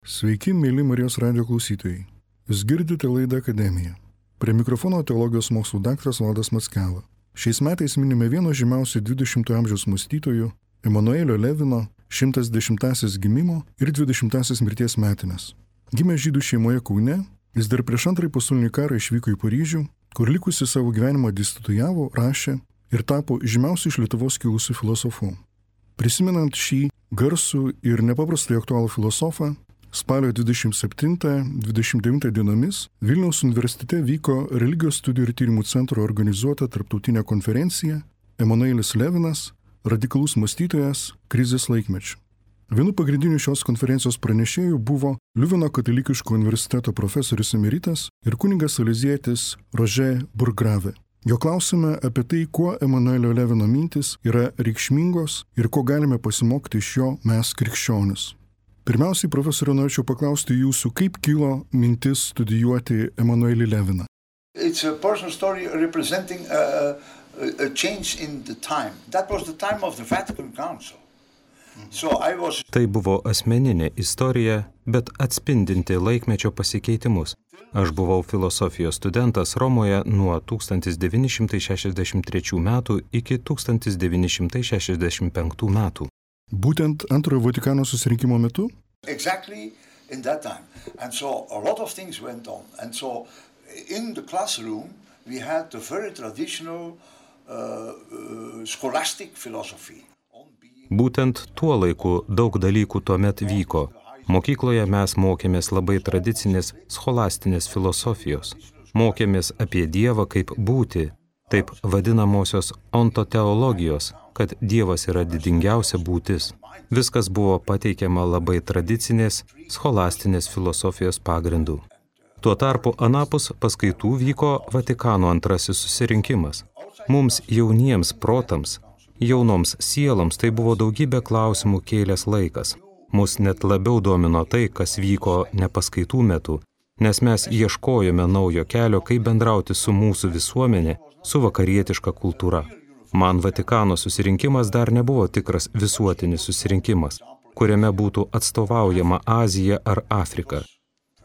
Sveiki, mėly Marijos radijo klausytojai. Jūs girdite laidą Akademija. Prie mikrofono teologijos mokslų daktaras Valdas Mackela. Šiais metais minime vieno žymiausių 20-ojo amžiaus mąstytojų Emanuelio Levino 110-asis gimimo ir 20-asis mirties metinės. Gimė žydų šeimoje Kaune, jis dar prieš antrąjį pasaulinį karą išvyko į Paryžių, kur likusi savo gyvenimą dėstytojavo, rašė ir tapo žymiausiu iš Lietuvos kilusiu filosofu. Prisimenant šį garsų ir nepaprastai aktualų filosofą, spalio 27-29 dienomis Vilniaus universitete vyko Religijos studijų ir tyrimų centro organizuota tarptautinė konferencija Emanuelis Levinas – radikalus mąstytojas krizės laikmečiu. Vienu pagrindiniu šios konferencijos pranešėjų buvo Liuveno katalikiško universiteto profesorius emeritas ir kunigas salezietis Roger Bourgrave. Jo klausime apie tai, kuo Emanuelio Levino mintis yra reikšmingos ir ko galime pasimokti iš jo mes krikščionis. Pirmiausiai, profesoriau, norėčiau paklausti jūsų, kaip kilo mintis studijuoti Emanuelį Leviną. It's a personal story representing a change in the time. That was the time of the Vatican Council. Tai buvo asmeninė istorija, bet atspindinti laikmečio pasikeitimus. Aš buvau filosofijos studentas Romoje nuo 1963 metų iki 1965 metų. Būtent antrojo Vatikano susirinkimo metu? Exactly in that time. And so a lot of things went on. And so in the classroom we had the very traditional scholastic philosophy. Būtent tuo laiku daug dalykų tuomet vyko. Mokykloje mes mokėmės labai tradicinės scholastinės filosofijos. Mokėmės apie Dievą kaip būtį, taip vadinamosios ontoteologijos, kad Dievas yra didingiausia būtis. Viskas buvo pateikiama labai tradicinės scholastinės filosofijos pagrindų. Tuo tarpu anapus paskaitų vyko Vatikano antrasis susirinkimas. Mums jauniems protams, jaunoms sieloms tai buvo daugybė klausimų kėlęs laikas. Mus net labiau domino tai, kas vyko ne paskaitų metu, nes mes ieškojome naujo kelio, kaip bendrauti su mūsų visuomenė, su vakarietiška kultūra. Man Vatikano susirinkimas dar nebuvo tikras visuotinis susirinkimas, kuriame būtų atstovaujama Azija ar Afrika.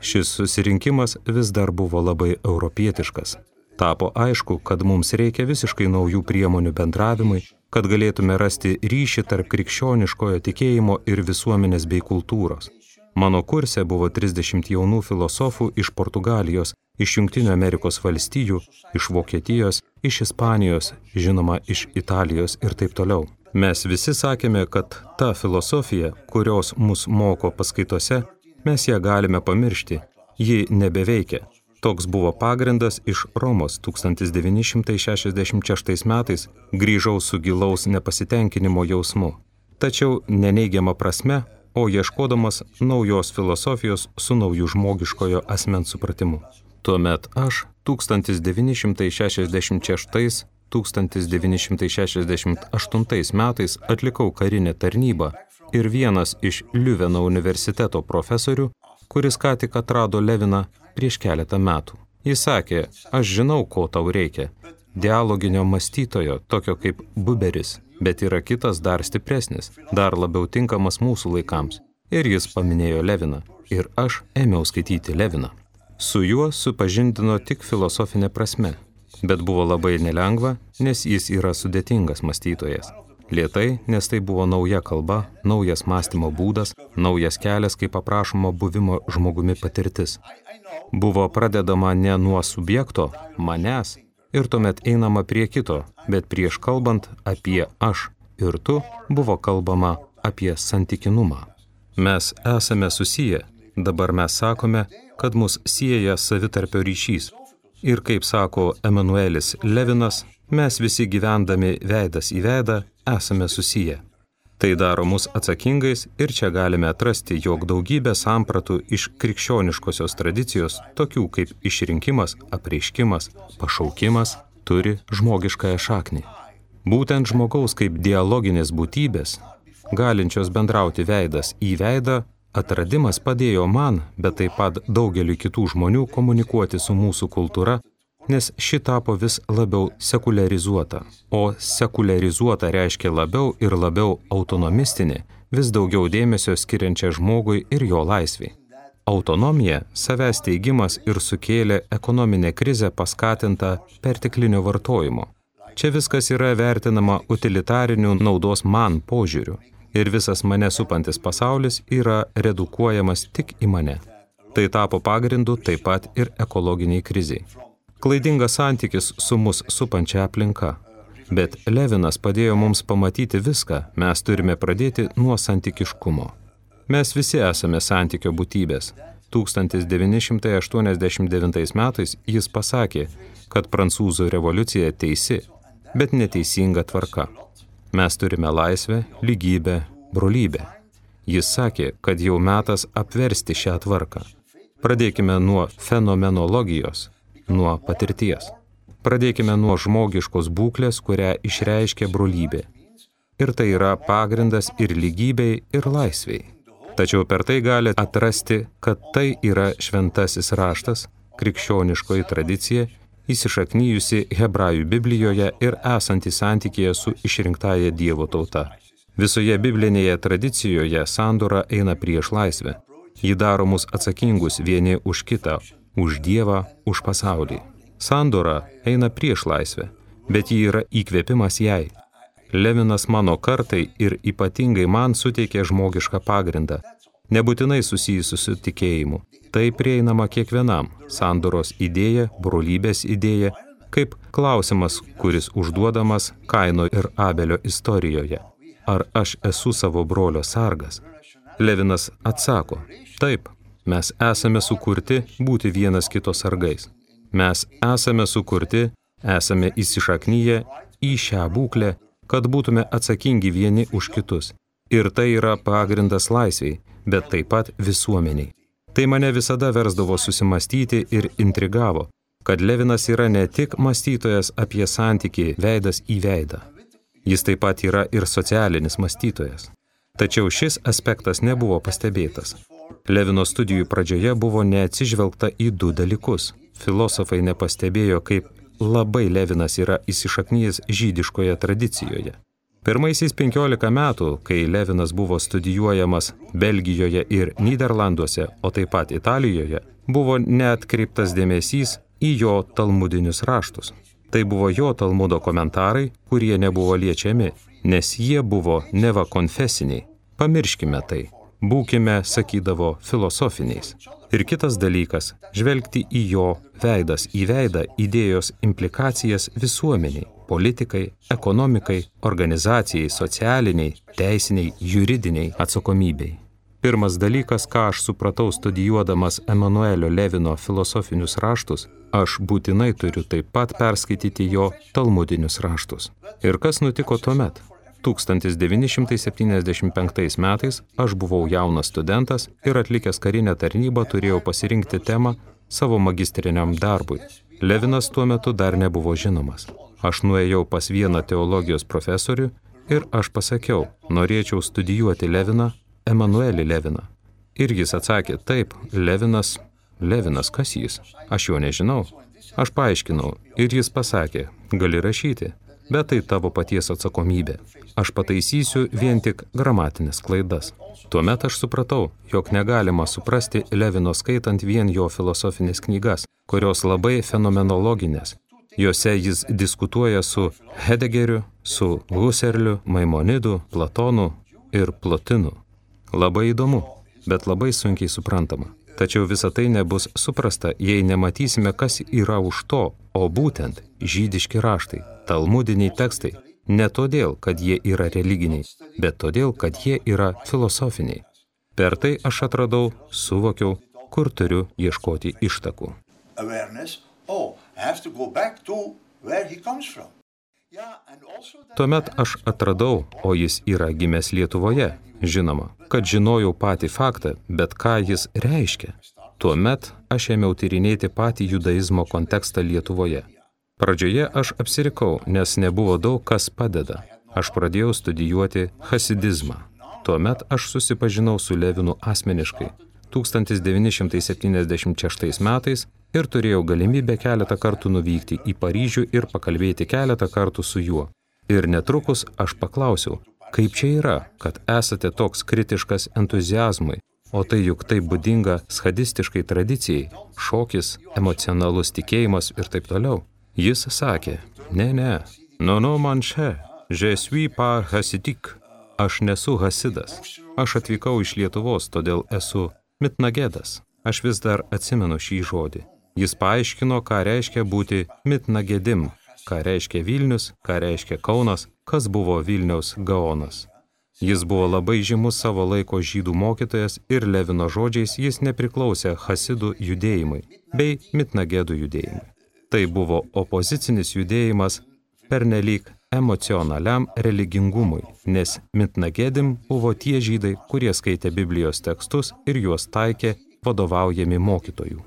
Šis susirinkimas vis dar buvo labai europietiškas. Tapo aišku, kad mums reikia visiškai naujų priemonių bendravimui, kad galėtume rasti ryšį tarp krikščioniškojo tikėjimo ir visuomenės bei kultūros. Mano kurse buvo 30 jaunų filosofų iš Portugalijos, iš Jungtinių Amerikos valstijų, iš Vokietijos, iš Ispanijos, žinoma, iš Italijos ir taip toliau. Mes visi sakėme, kad ta filosofija, kurios mus moko paskaitose, mes ją galime pamiršti, ji nebeveikia. Toks buvo pagrindas iš Romos 1966 metais, grįžau su gilaus nepasitenkinimo jausmu. Tačiau neneigiama prasme, o ieškodamas naujos filosofijos su nauju žmogiškojo asmens supratimu. Tuomet aš 1966-1968 metais atlikau karinę tarnybą ir vienas iš Liuveno universiteto profesorių, kuris ką tik atrado Leviną prieš keletą metų. Jis sakė, aš žinau, ko tau reikia. Dialoginio mąstytojo, tokio kaip Buberis, bet yra kitas dar stipresnis, dar labiau tinkamas mūsų laikams. Ir jis paminėjo Leviną. Ir aš ėmiau skaityti Leviną. Su juo supažindino tik filosofinė prasme, bet buvo labai nelengva, nes jis yra sudėtingas mąstytojas. Lėtai, nes tai buvo nauja kalba, naujas mąstymo būdas, naujas kelias, kaip aprašoma buvimo žmogumi patirtis. Buvo pradedama ne nuo subjekto, manęs, ir tuomet einama prie kito, bet prieš kalbant apie aš ir tu, buvo kalbama apie santykinumą. Mes esame susiję, dabar mes sakome, kad mus sieja savitarpio ryšys. Ir kaip sako Emanuelis Levinas, mes visi gyvendami veidas į veidą esame susiję. Tai daro mus atsakingais ir čia galime atrasti, jog daugybė sampratų iš krikščioniškosios tradicijos, tokių kaip išrinkimas, apreiškimas, pašaukimas, turi žmogiškąją šaknį. Būtent žmogaus kaip dialoginės būtybės, galinčios bendrauti veidas į veidą, atradimas padėjo man, bet taip pat daugeliu kitų žmonių komunikuoti su mūsų kultūra, nes ši tapo vis labiau sekuliarizuota. O sekuliarizuota reiškia labiau ir labiau autonomistinė, vis daugiau dėmesio skiriančia žmogui ir jo laisvei. Autonomija, savęs teigimas ir sukėlė ekonominę krizę paskatintą perteklinio vartojimo. Čia viskas yra vertinama utilitariniu naudos man požiūriu ir visas mane supantis pasaulis yra redukuojamas tik į mane. Tai tapo pagrindu taip pat ir ekologiniai kriziai. Klaidingas santykis su mus supančia aplinka. Bet Levinas padėjo mums pamatyti viską, mes turime pradėti nuo santykiškumo. Mes visi esame santykio būtybės. 1989 metais jis pasakė, kad prancūzų revoliucija teisi, bet neteisinga tvarka. Mes turime laisvę, lygybę, brolybę. Jis sakė, kad jau metas apversti šią tvarką. Pradėkime nuo fenomenologijos, nuo patirties. Pradėkime nuo žmogiškos būklės, kurią išreiškia brolybė. Ir tai yra pagrindas ir lygybei, ir laisvei. Tačiau per tai gali atrasti, kad tai yra šventasis raštas, krikščioniškoji tradicija, įsišaknyjusi Hebrajų Biblijoje ir esanti santykėje su išrinktąja Dievo tauta. Visoje biblinėje tradicijoje sandora eina prieš laisvę. Ji daro mus atsakingus vieni už kitą, už Dievą, už pasaulį. Sandora eina prieš laisvę, bet ji yra įkvėpimas jai. Levinas mano kartai ir ypatingai man suteikė žmogišką pagrindą, nebūtinai susijusiu su tikėjimu. Tai prieinama kiekvienam, sandoros idėja, brolybės idėja, kaip klausimas, kuris užduodamas Kaino ir Abelio istorijoje. Ar aš esu savo brolio sargas? Levinas atsako, taip, mes esame sukurti būti vienas kito sargais. Mes esame sukurti, esame įsišaknyję į šią būklę, kad būtume atsakingi vieni už kitus. Ir tai yra pagrindas laisviai, bet taip pat visuomeniai. Tai mane visada versdavo susimastyti ir intrigavo, kad Levinas yra ne tik mąstytojas apie santykį veidas į veidą. Jis taip pat yra ir socialinis mąstytojas. Tačiau šis aspektas nebuvo pastebėtas. Levino studijų pradžioje buvo neatsižvelgta į du dalykus. Filosofai nepastebėjo, kaip labai Levinas yra įsišaknyjęs žydiškoje tradicijoje. Pirmaisiais 15 metų, kai Levinas buvo studijuojamas Belgijoje ir Nyderlanduose, o taip pat Italijoje, buvo neatkreiptas dėmesys į jo talmudinius raštus. Tai buvo jo talmudo komentarai, kurie nebuvo liečiami, nes jie buvo neva konfesiniai. Pamirškime tai. Būkime, sakydavo, filosofiniais. Ir kitas dalykas – žvelgti į jo veidas į veidą idėjos implikacijas visuomeniai, politikai, ekonomikai, organizacijai, socialiniai, teisiniai, juridiniai atsakomybei. Pirmas dalykas, ką aš supratau studijuodamas Emanuelio Levino filosofinius raštus, aš būtinai turiu taip pat perskaityti jo talmudinius raštus. Ir kas nutiko tuomet? 1975 metais aš buvau jaunas studentas ir atlikęs karinę tarnybą turėjau pasirinkti temą savo magistriniam darbui. Levinas tuo metu dar nebuvo žinomas. Aš nuėjau pas vieną teologijos profesorių ir aš pasakiau, norėčiau studijuoti Leviną, Emanuelį Leviną. Ir jis atsakė, taip, Levinas, kas jis? Aš jo nežinau. Aš paaiškinau ir jis pasakė, gali rašyti, bet tai tavo paties atsakomybė. Aš pataisysiu vien tik gramatinės klaidas. Tuomet aš supratau, jog negalima suprasti Levino skaitant vien jo filosofinės knygas, kurios labai fenomenologinės. Jose jis diskutuoja su Hedegeriu, su Husserliu, Maimonidu, Platonu ir Plotinu. Labai įdomu, bet labai sunkiai suprantama. Tačiau visa tai nebus suprasta, jei nematysime, kas yra už to, o būtent žydiški raštai, talmudiniai tekstai, ne todėl, kad jie yra religiniai, bet todėl, kad jie yra filosofiniai. Per tai aš atradau, suvokiau, kur turiu ieškoti ištakų. Tuomet aš atradau, o jis yra gimęs Lietuvoje, žinoma, kad žinojau patį faktą, bet ką jis reiškia. Tuomet aš ėmiau tyrinėti patį judaizmo kontekstą Lietuvoje. Pradžioje aš apsirikau, nes nebuvo daug kas padeda. Aš pradėjau studijuoti hasidizmą. Tuomet aš susipažinau su Levinu asmeniškai 1976 metais ir turėjau galimybę keletą kartų nuvykti į Paryžių ir pakalbėti keletą kartų su juo. Ir netrukus aš paklausiau, kaip čia yra, kad esate toks kritiškas entuziazmui, O tai juk tai būdinga schadistiškai tradicijai, šokis, emocionalus tikėjimas ir taip toliau. Jis sakė, ne, no man čia, je suis pas hasidik, aš nesu hasidas. Aš atvykau iš Lietuvos, todėl esu mitnagedas. Aš vis dar atsimenu šį žodį. Jis paaiškino, ką reiškia būti mitnagedim, ką reiškia Vilnius, ką reiškia Kaunas, kas buvo Vilniaus Gaonas. Jis buvo labai žymus savo laiko žydų mokytojas ir Levino žodžiais jis nepriklausė hasidų judėjimai bei mitnagedų judėjimai. Tai buvo opozicinis judėjimas pernelyg emocionaliam religingumui, nes mitnagedim buvo tie žydai, kurie skaitė Biblijos tekstus ir juos taikė vadovaujami mokytojų.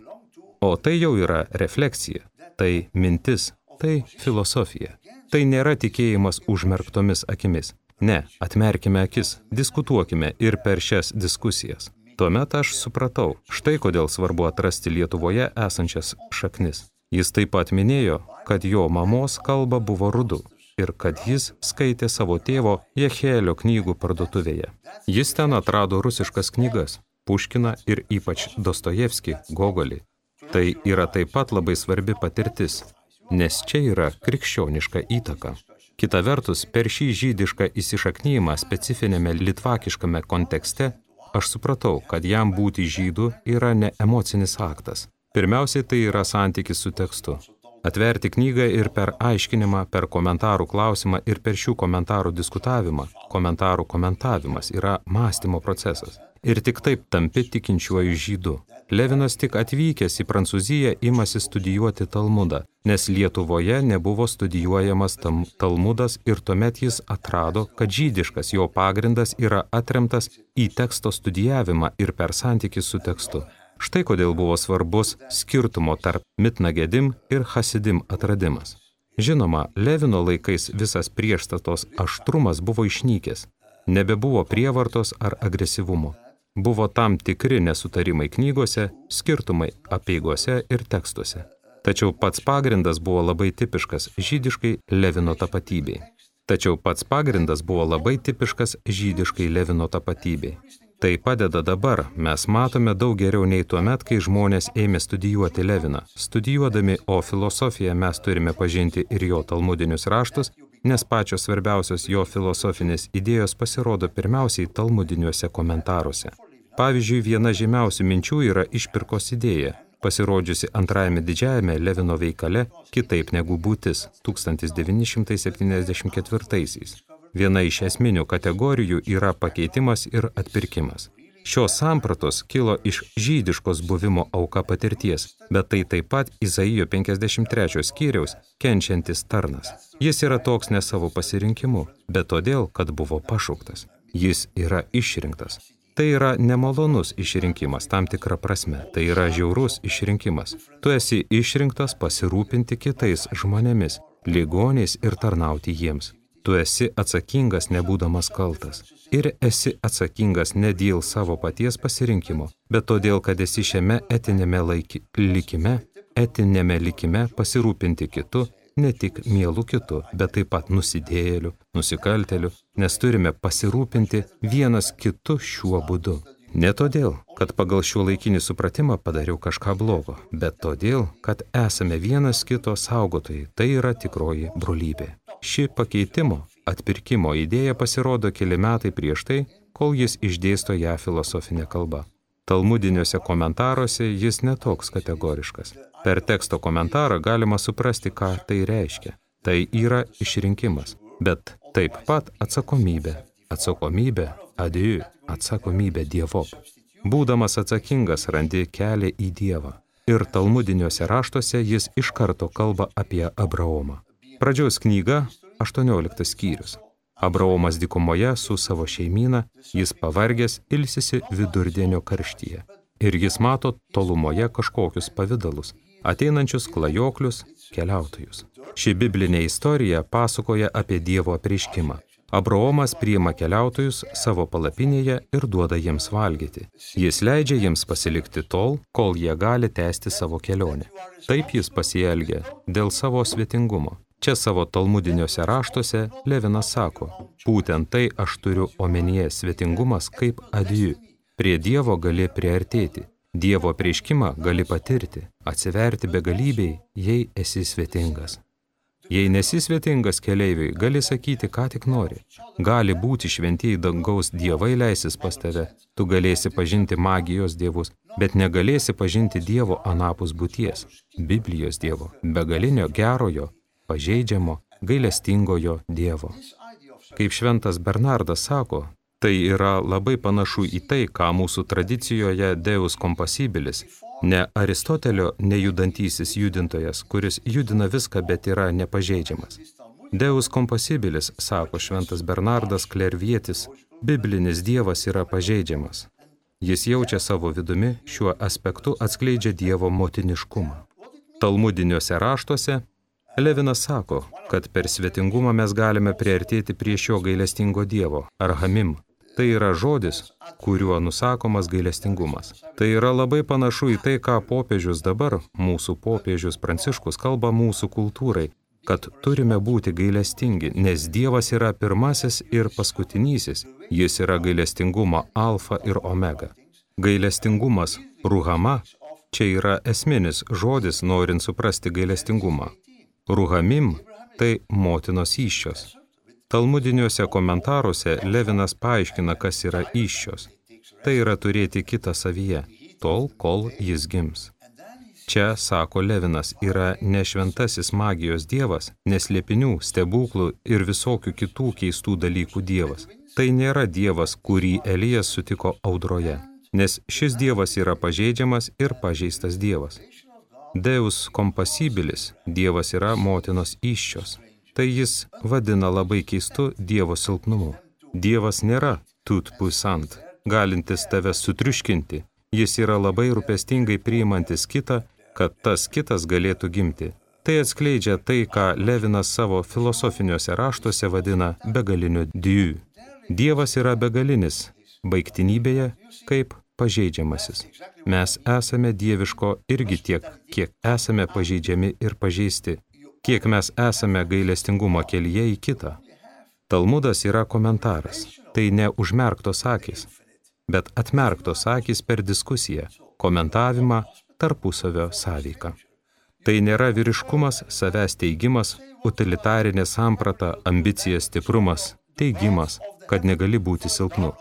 O tai jau yra refleksija, tai mintis, tai filosofija. Tai nėra tikėjimas užmerktomis akimis. Ne, atmerkime akis, diskutuokime ir per šias diskusijas. Tuomet aš supratau, štai kodėl svarbu atrasti Lietuvoje esančias šaknis. Jis taip pat minėjo, kad jo mamos kalba buvo rudu ir kad jis skaitė savo tėvo Jechielio knygų parduotuvėje. Jis ten atrado rusiškas knygas, Puškiną ir ypač Dostojevskį, Gogolį. Tai yra taip pat labai svarbi patirtis, nes čia yra krikščioniška įtaka. Kita vertus, per šį žydišką įsišaknyjimą specifinėme litvakiškame kontekste, aš supratau, kad jam būti žydu yra ne emocinis aktas. Pirmiausiai tai yra santykis su tekstu. Atverti knygą ir per aiškinimą, per komentarų klausimą ir per šių komentarų diskutavimą. Komentarų komentavimas yra mąstymo procesas. Ir tik taip tampi tikinčiuoju žydu. Levinas tik atvykęs į Prancūziją imasi studijuoti Talmudą, nes Lietuvoje nebuvo studijuojamas Talmudas ir tuomet jis atrado, kad žydiškas jo pagrindas yra atremtas į teksto studijavimą ir per santykį su tekstu. Štai kodėl buvo svarbus skirtumo tarp mitnagedim ir hasidim atradimas. Žinoma, Levino laikais visas priešstatos aštrumas buvo išnykęs. Nebebuvo prievartos ar agresyvumo. Buvo tam tikri nesutarimai knygose, skirtumai apeigose ir tekstuose. Tačiau pats pagrindas buvo labai tipiškas žydiškai Levino tapatybei. Tai padeda dabar, mes matome daug geriau nei tuomet, kai žmonės ėmė studijuoti Leviną. Studijuodami, o filosofiją mes turime pažinti ir jo talmudinius raštus, nes pačios svarbiausios jo filosofinės idėjos pasirodo pirmiausiai talmudiniuose komentaruose. Pavyzdžiui, viena žymiausių minčių yra išpirkos idėja, pasirodžiusi antrajame didžiajame Levino veikale Kitaip negu būtis 1974. Viena iš esminių kategorijų yra pakeitimas ir atpirkimas. Šios sampratos kilo iš žydiškos buvimo auka patirties, bet tai taip pat Izaijo 53 skyriaus kenčiantis tarnas. Jis yra toks ne savo pasirinkimu, bet todėl, kad buvo pašauktas. Jis yra išrinktas. Tai yra nemalonus išrinkimas tam tikra prasme, tai yra žiaurus išrinkimas. Tu esi išrinktas pasirūpinti kitais žmonėmis, ligoniais ir tarnauti jiems. Tu esi atsakingas nebūdamas kaltas. Ir esi atsakingas ne dėl savo paties pasirinkimo, bet todėl, kad esi šiame etinėme likime pasirūpinti kitu, ne tik mielu kitu, bet taip pat nusidėjėliu, nusikalteliu, nes turime pasirūpinti vienas kitu šiuo būdu. Ne todėl, kad pagal šiuolaikinį supratimą padariau kažką blogo, bet todėl, kad esame vienas kito saugotojai, tai yra tikroji brolybė. Ši pakeitimo, atpirkimo idėja pasirodo keli metai prieš tai, kol jis išdėsto ją filosofinė kalba. Talmudiniuose komentaruose jis netoks kategoriškas. Per teksto komentarą galima suprasti, ką tai reiškia. Tai yra išrinkimas, bet taip pat atsakomybė. Atsakomybė, atsakomybė Dievop. Būdamas atsakingas randi kelią į Dievą. Ir talmudiniuose raštuose jis iš karto kalba apie Abraomą. Pradžios knyga, 18 skyrius. Abraomas dykumoje su savo šeimyna, jis pavargęs ilsisi vidurdienio karštyje. Ir jis mato tolumoje kažkokius pavidalus, ateinančius klajoklius, keliautojus. Ši biblinė istorija pasakoja apie Dievo apreiškimą. Abraomas priima keliautojus savo palapinėje ir duoda jiems valgyti. Jis leidžia jiems pasilikti tol, kol jie gali tęsti savo kelionę. Taip jis pasielgia dėl savo svetingumo. Čia savo talmudiniuose raštuose Levinas sako, būtent tai aš turiu omenyje svetingumas kaip adijų. Prie Dievo gali priartėti, Dievo apreiškimą gali patirti, atsiverti begalybei, jei esi svetingas. Jei nesi svetingas keleiviui, gali sakyti, ką tik nori. Gali būti šventieji dangaus dievai leisis pas tave, tu galėsi pažinti magijos dievus, bet negalėsi pažinti Dievo anapus būties, Biblijos Dievo, begalinio gerojo, pažeidžiamo, gailestingojo Dievo. Kaip šventas Bernardas sako, tai yra labai panašu į tai, ką mūsų tradicijoje Deus compasibilis, ne Aristotelio nejudantysis judintojas, kuris judina viską, bet yra nepažeidžiamas. Deus compasibilis, sako šventas Bernardas Klervietis, biblinis Dievas yra pažeidžiamas. Jis jaučia savo vidumi, šiuo aspektu atskleidžia Dievo motiniškumą. Talmudiniuose raštuose Levinas sako, kad per svetingumą mes galime priartėti prie šio gailestingo Dievo, arhamim. Tai yra žodis, kuriuo nusakomas gailestingumas. Tai yra labai panašu į tai, ką popiežius dabar, mūsų popiežius Pranciškus, kalba mūsų kultūrai, kad turime būti gailestingi, nes Dievas yra pirmasis ir paskutinysis, jis yra gailestingumo alfa ir omega. Gailestingumas, ruhama, čia yra esminis žodis, norint suprasti gailestingumą. Ruhamim – tai motinos įsčios. Talmudiniuose komentaruose Levinas paaiškina, kas yra įsčios. Tai yra turėti kitą savyje, tol, kol jis gims. Čia, sako Levinas, yra ne šventasis magijos dievas, neslėpinių, stebuklų ir visokių kitų keistų dalykų dievas. Tai nėra dievas, kurį Elijas sutiko audroje, nes šis dievas yra pažeidžiamas ir pažeistas dievas. Deus compasibilis, dievas yra motinos įsčios. Tai jis vadina labai keistu Dievo silpnumu. Dievas nėra tout puissant, galintis tave sutriuškinti. Jis yra labai rūpestingai priimantis kitą, kad tas kitas galėtų gimti. Tai atskleidžia tai, ką Levinas savo filosofiniuose raštuose vadina begaliniu Dieu. Dievas yra begalinis, baigtinybėje kaip pažeidžiamasis. Mes esame dieviško irgi tiek, kiek esame pažeidžiami ir pažeisti. Kiek mes esame gailestingumo kelyje į kitą. Talmudas yra komentaras. Tai ne užmerktos akys, bet atmerktos akys per diskusiją, komentavimą, tarpusavio sąveiką. Tai nėra vyriškumas, savęs teigimas, utilitarinė samprata, ambicija, stiprumas, teigimas, kad negali būti silpnu.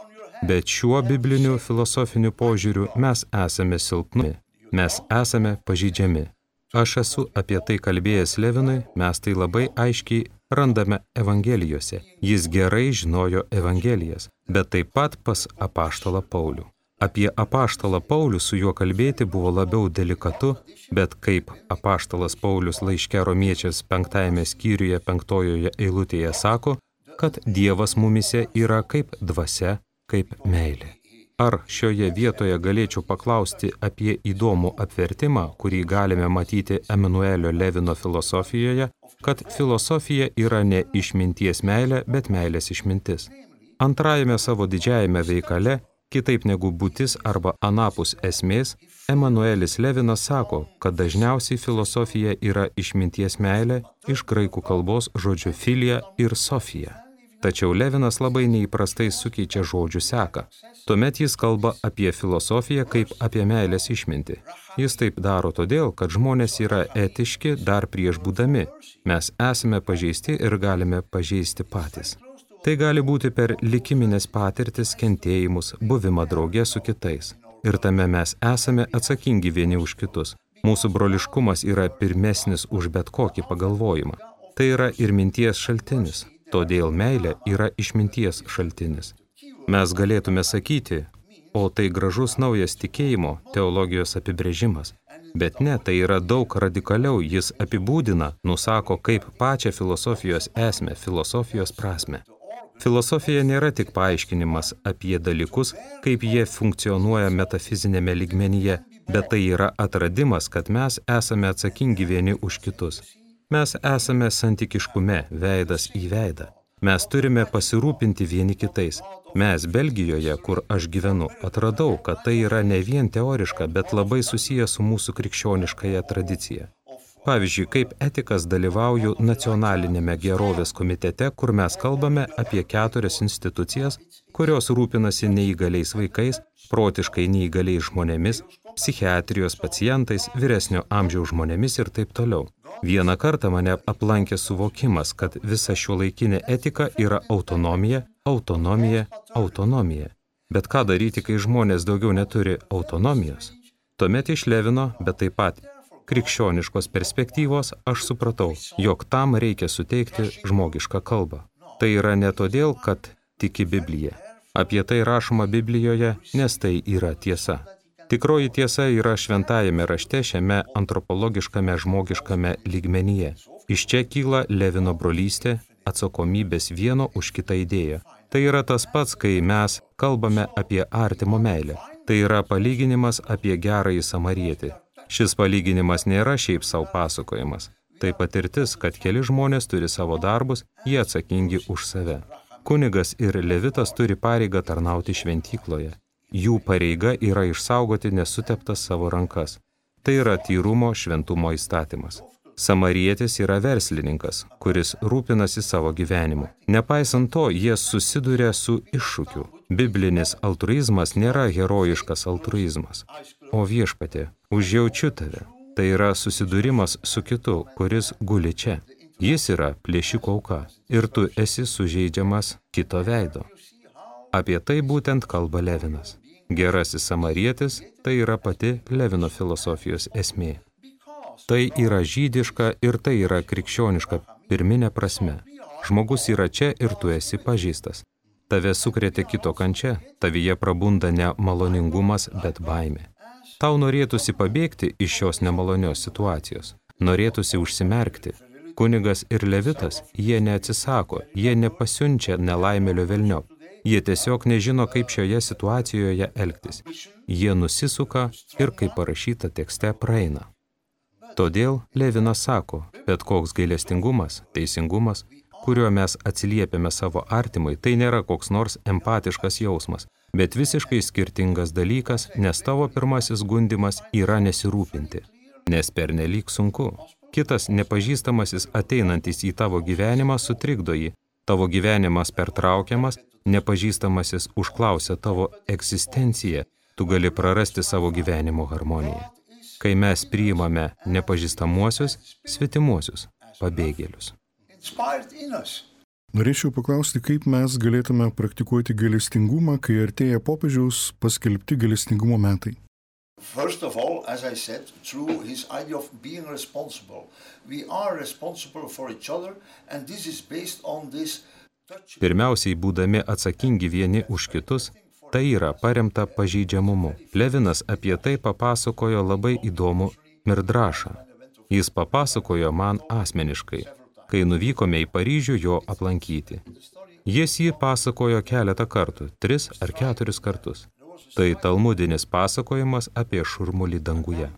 Bet šiuo bibliniu filosofiniu požiūriu mes esame silpni, mes esame pažeidžiami. Aš esu apie tai kalbėjęs Levinui, mes tai labai aiškiai randame Evangelijose. Jis gerai žinojo Evangelijas, bet taip pat pas apaštalą Paulių. Apie apaštalą Paulių su juo kalbėti buvo labiau delikatu, bet kaip apaštalas Paulius laiške Romiečiams 5 skyriuje 5 eilutėje sako, kad Dievas mumise yra kaip dvasia, kaip meilė. Ar šioje vietoje galėčiau paklausti apie įdomų apvertimą, kurį galime matyti Emanuelio Levino filosofijoje, kad filosofija yra ne išminties meilė, bet meilės išmintis. Antrajame savo didžiajame veikale, kitaip negu būtis arba anapus esmės, Emanuelis Levinas sako, kad dažniausiai filosofija yra išminties meilė iš graikų kalbos žodžių filija ir sofija. Tačiau Levinas labai neįprastai sukeičia žodžių seką. Tuomet jis kalba apie filosofiją kaip apie meilės išmintį. Jis taip daro todėl, kad žmonės yra etiški dar prieš būdami. Mes esame pažeisti ir galime pažeisti patys. Tai gali būti per likiminės patirtis, kentėjimus, buvimą drauge su kitais. Ir tame mes esame atsakingi vieni už kitus. Mūsų broliškumas yra pirmesnis už bet kokį pagalvojimą. Tai yra ir minties šaltinis. Todėl meilė yra išminties šaltinis. Mes galėtume sakyti, o tai gražus naujas tikėjimo, teologijos apibrėžimas. Bet ne, tai yra daug radikaliau, jis apibūdina, nusako kaip pačią filosofijos esmę, filosofijos prasmę. Filosofija nėra tik paaiškinimas apie dalykus, kaip jie funkcionuoja metafizinėme lygmenyje, bet tai yra atradimas, kad mes esame atsakingi vieni už kitus. Mes esame santykiškume, veidas į veidą. Mes turime pasirūpinti vieni kitais. Mes Belgijoje, kur aš gyvenu, atradau, kad tai yra ne vien teoriška, bet labai susiję su mūsų krikščioniškąja tradicija. Pavyzdžiui, kaip etikas dalyvauju nacionalinėme gerovės komitete, kur mes kalbame apie 4 institucijas, kurios rūpinasi neįgaliais vaikais, protiškai neįgaliais žmonėmis, psichiatrijos pacientais, vyresnio amžiaus žmonėmis ir taip toliau. Vieną kartą mane aplankė suvokimas, kad visa šiuolaikinė etika yra autonomija, autonomija, autonomija. Bet ką daryti, kai žmonės daugiau neturi autonomijos? Tuomet iš Levino, bet taip pat krikščioniškos perspektyvos, aš supratau, jog tam reikia suteikti žmogišką kalbą. Tai yra ne todėl, kad tiki Biblija. Apie tai rašoma Biblijoje, nes tai yra tiesa. Tikroji tiesa yra šventajame rašte šiame antropologiškame žmogiškame lygmenyje. Iš čia kyla Levino brolystė, atsakomybės vieno už kitą idėją. Tai yra tas pats, kai mes kalbame apie artimo meilę. Tai yra palyginimas apie gerąjį samarietį. Šis palyginimas nėra šiaip savo pasakojimas. Tai patirtis, kad keli žmonės turi savo darbus, jie atsakingi už save. Kunigas ir levitas turi pareigą tarnauti šventykloje. Jų pareiga yra išsaugoti nesuteptas savo rankas. Tai yra tyrumo, šventumo įstatymas. Samarietis yra verslininkas, kuris rūpinasi savo gyvenimu. Nepaisant to, jie susiduria su iššūkiu. Biblinis altruizmas nėra herojiškas altruizmas. O viešpatie, užjaučiu tave. Tai yra susidūrimas su kitu, kuris guli čia. Jis yra plėšiko auka ir tu esi sužeidžiamas kito veido. Apie tai būtent kalba Levinas. Gerasis samarietis tai yra pati Levino filosofijos esmė. Tai yra žydiška ir tai yra krikščioniška pirminė prasme. Žmogus yra čia ir tu esi pažįstas. Tave sukrėtė kito kančia, tavyje prabunda ne maloningumas, bet baimė. Tau norėtųsi pabėgti iš šios nemalonios situacijos. Norėtųsi užsimerkti. Kunigas ir levitas, jie neatsisako, jie nepasiunčia nelaimėlio velniop. Jie tiesiog nežino, kaip šioje situacijoje elgtis. Jie nusisuka ir, kaip parašyta tekste, praeina. Todėl Levinas sako, bet koks gailestingumas, teisingumas, kuriuo mes atsiliepiame savo artimui, tai nėra koks nors empatiškas jausmas, bet visiškai skirtingas dalykas, nes tavo pirmasis gundimas yra nesirūpinti, nes pernelyg sunku. Kitas nepažįstamasis ateinantis į tavo gyvenimą sutrikdo jį, tavo gyvenimas pertraukiamas, nepažįstamasis užklausia tavo egzistenciją, tu gali prarasti savo gyvenimo harmoniją. Kai mes priimame nepažįstamuosius, svetimuosius, pabėgėlius. Norėčiau paklausti, kaip mes galėtume praktikuoti gailestingumą, kai artėja popiežiaus paskelbti gailestingumo metai. First of all, as I said, through his idea of being responsible. We are responsible for each other, and this is based on this touch. Pirmiausiai, būdami atsakingi vieni už kitus, tai yra paremta pažeidžiamumu. Levinas apie tai papasakojo labai įdomų mirdrašą. Jis papasakojo man asmeniškai, kai nuvykome į Paryžių jo aplankyti. Jis jį pasakojo keletą kartų, 3 ar 4 kartus. Tai talmudinis pasakojimas apie šurmulį danguje.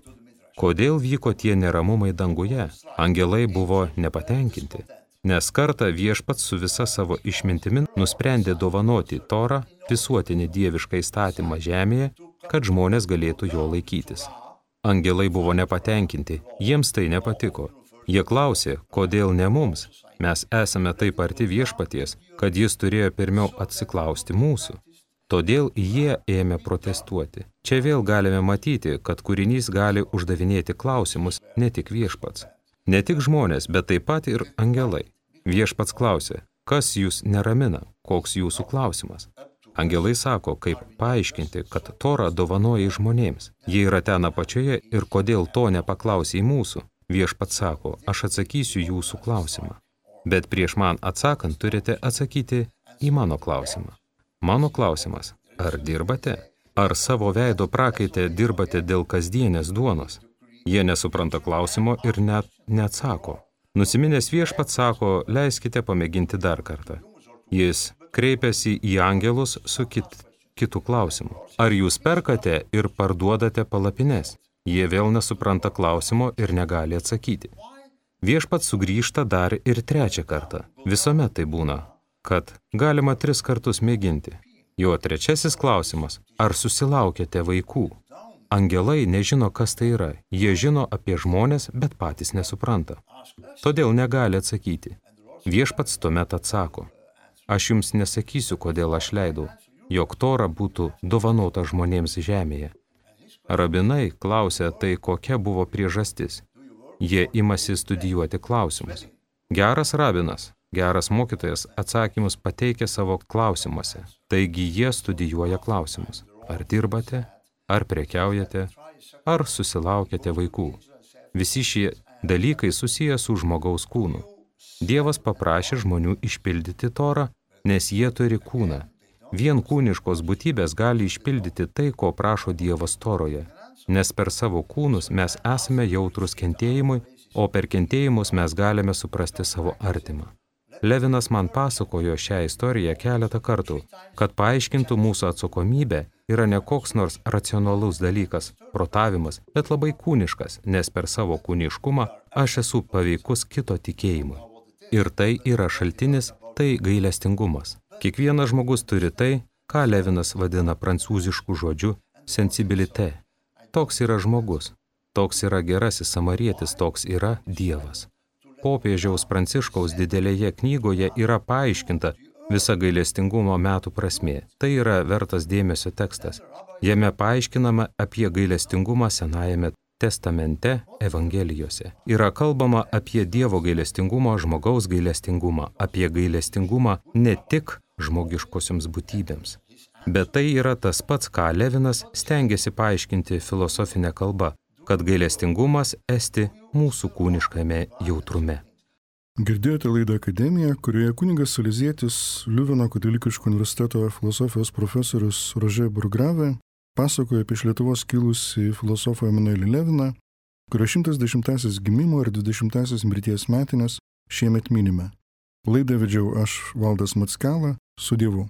Kodėl vyko tie neramumai danguje? Angelai buvo nepatenkinti, nes kartą viešpats su visa savo išmintimi nusprendė dovanoti Torą, visuotinį dievišką įstatymą žemėje, kad žmonės galėtų jo laikytis. Angelai buvo nepatenkinti, jiems tai nepatiko. Jie klausė, kodėl ne mums? Mes esame taip arti viešpaties, kad jis turėjo pirmiau atsiklausti mūsų. Todėl jie ėmė protestuoti. Čia vėl galime matyti, kad kūrinys gali uždavinėti klausimus ne tik viešpats. Ne tik žmonės, bet taip pat ir angelai. Viešpats klausė, kas jūs neramina, koks jūsų klausimas. Angelai sako, kaip paaiškinti, kad Torą dovanoja žmonėms. Jie yra ten apačioje ir kodėl to nepaklausė į mūsų. Viešpats sako, aš atsakysiu jūsų klausimą. Bet prieš man atsakant turite atsakyti į mano klausimą. Mano klausimas, ar dirbate? Ar savo veido prakaite dirbate dėl kasdienės duonos? Jie nesupranta klausimo ir net neatsako. Nusiminęs viešpats sako, leiskite pamėginti dar kartą. Jis kreipiasi į angelus su kitu klausimu. Ar jūs perkate ir parduodate palapines? Jie vėl nesupranta klausimo ir negali atsakyti. Viešpats sugrįžta dar ir 3 kartą. Visuomet tai būna, kad galima 3 kartus mėginti. Jo 3 klausimas, ar susilaukėte vaikų? Angelai nežino, kas tai yra. Jie žino apie žmonės, bet patys nesupranta. Todėl negali atsakyti. Viešpats tuomet atsako: aš jums nesakysiu, kodėl aš leidau, jog Tora būtų dovanota žmonėms žemėje. Rabinai klausia, tai kokia buvo priežastis. Jie imasi studijuoti klausimus. Geras rabinas, geras mokytojas atsakymus pateikia savo klausimuose. Taigi jie studijuoja klausimus. Ar dirbate, ar prekiaujate, ar susilaukėte vaikų. Visi šie dalykai susiję su žmogaus kūnu. Dievas paprašė žmonių išpildyti Torą, nes jie turi kūną. Vien kūniškos būtybės gali išpildyti tai, ko prašo Dievas Toroje, nes per savo kūnus mes esame jautrus kentėjimui, o per kentėjimus mes galime suprasti savo artimą. Levinas man pasakojo šią istoriją keletą kartų, kad paaiškintų mūsų atsakomybę yra ne koks nors racionalus dalykas, protavimas, bet labai kūniškas, nes per savo kūniškumą aš esu paveikus kito tikėjimui. Ir tai yra šaltinis, tai gailestingumas. Kiekvienas žmogus turi tai, ką Levinas vadina prancūzišku žodžiu sensibilité. Toks yra žmogus, toks yra gerasis samarietis, toks yra Dievas. Popiežiaus Pranciškaus didelėje knygoje yra paaiškinta visa gailestingumo metų prasmė. Tai yra vertas dėmesio tekstas. Jame paaiškinama apie gailestingumą Senajame testamente Evangelijose. Yra kalbama apie Dievo gailestingumą, žmogaus gailestingumą, apie gailestingumą ne tik žmogiškosioms būtybėms. Bet tai yra tas pats, ką Levinas stengiasi paaiškinti filosofinę kalbą, kad gailestingumas esti mūsų kūniškame jautrume. Girdėjote laidą Akademija, kurioje kunigas salezietis Liuveno katalikiško universiteto filosofijos profesorius Rožė Burgravė pasakoja apie iš Lietuvos kilusį filosofą Emanuelį Leviną, kurio 110-asis gimimo ir 20-asis mirties metinės šiemet minime. Laidą vedžiau aš, Valdas Mackela, su Dievu.